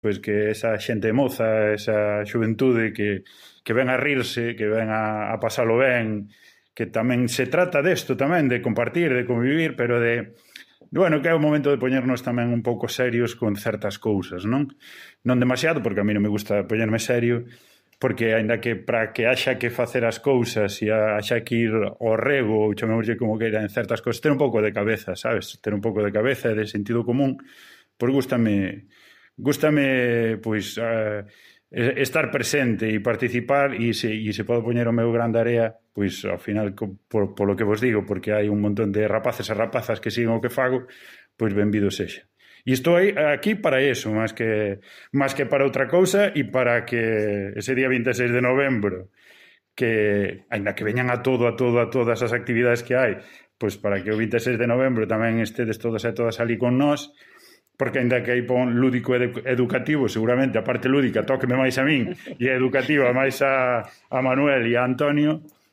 pois que esa xente moza, esa xuventude que ven a rirse, que ven a pasalo ben, que tamén se trata desto tamén, de compartir, de convivir, pero de, bueno, que é o momento de poñernos tamén un pouco serios con certas cousas, non? Non demasiado, porque a mí non me gusta poñerme serio, porque aínda que para que haxa que facer as cousas e haxa que ir ao rego, ou chamémoslle como queira, en certas cousas, ter un pouco de cabeza, sabes? Ter un pouco de cabeza e de sentido común, pois gústame pois estar presente e participar e se podo poñer o meu grande area, pois ao final polo que vos digo, porque hai un montón de rapaces e rapazas que siguen o que fago, pois benvido sexa. E estou aquí para eso, máis que para outra cousa e para que ese día 26 de novembro, que aínda que veñan a todas as actividades que hai, pois para que o 26 de novembro tamén estedes todos e todas ali con nós, porque aínda que hai pon lúdico educativo, seguramente a parte lúdica tóqueme máis a min e a educativa máis a Manuel e a Antonio,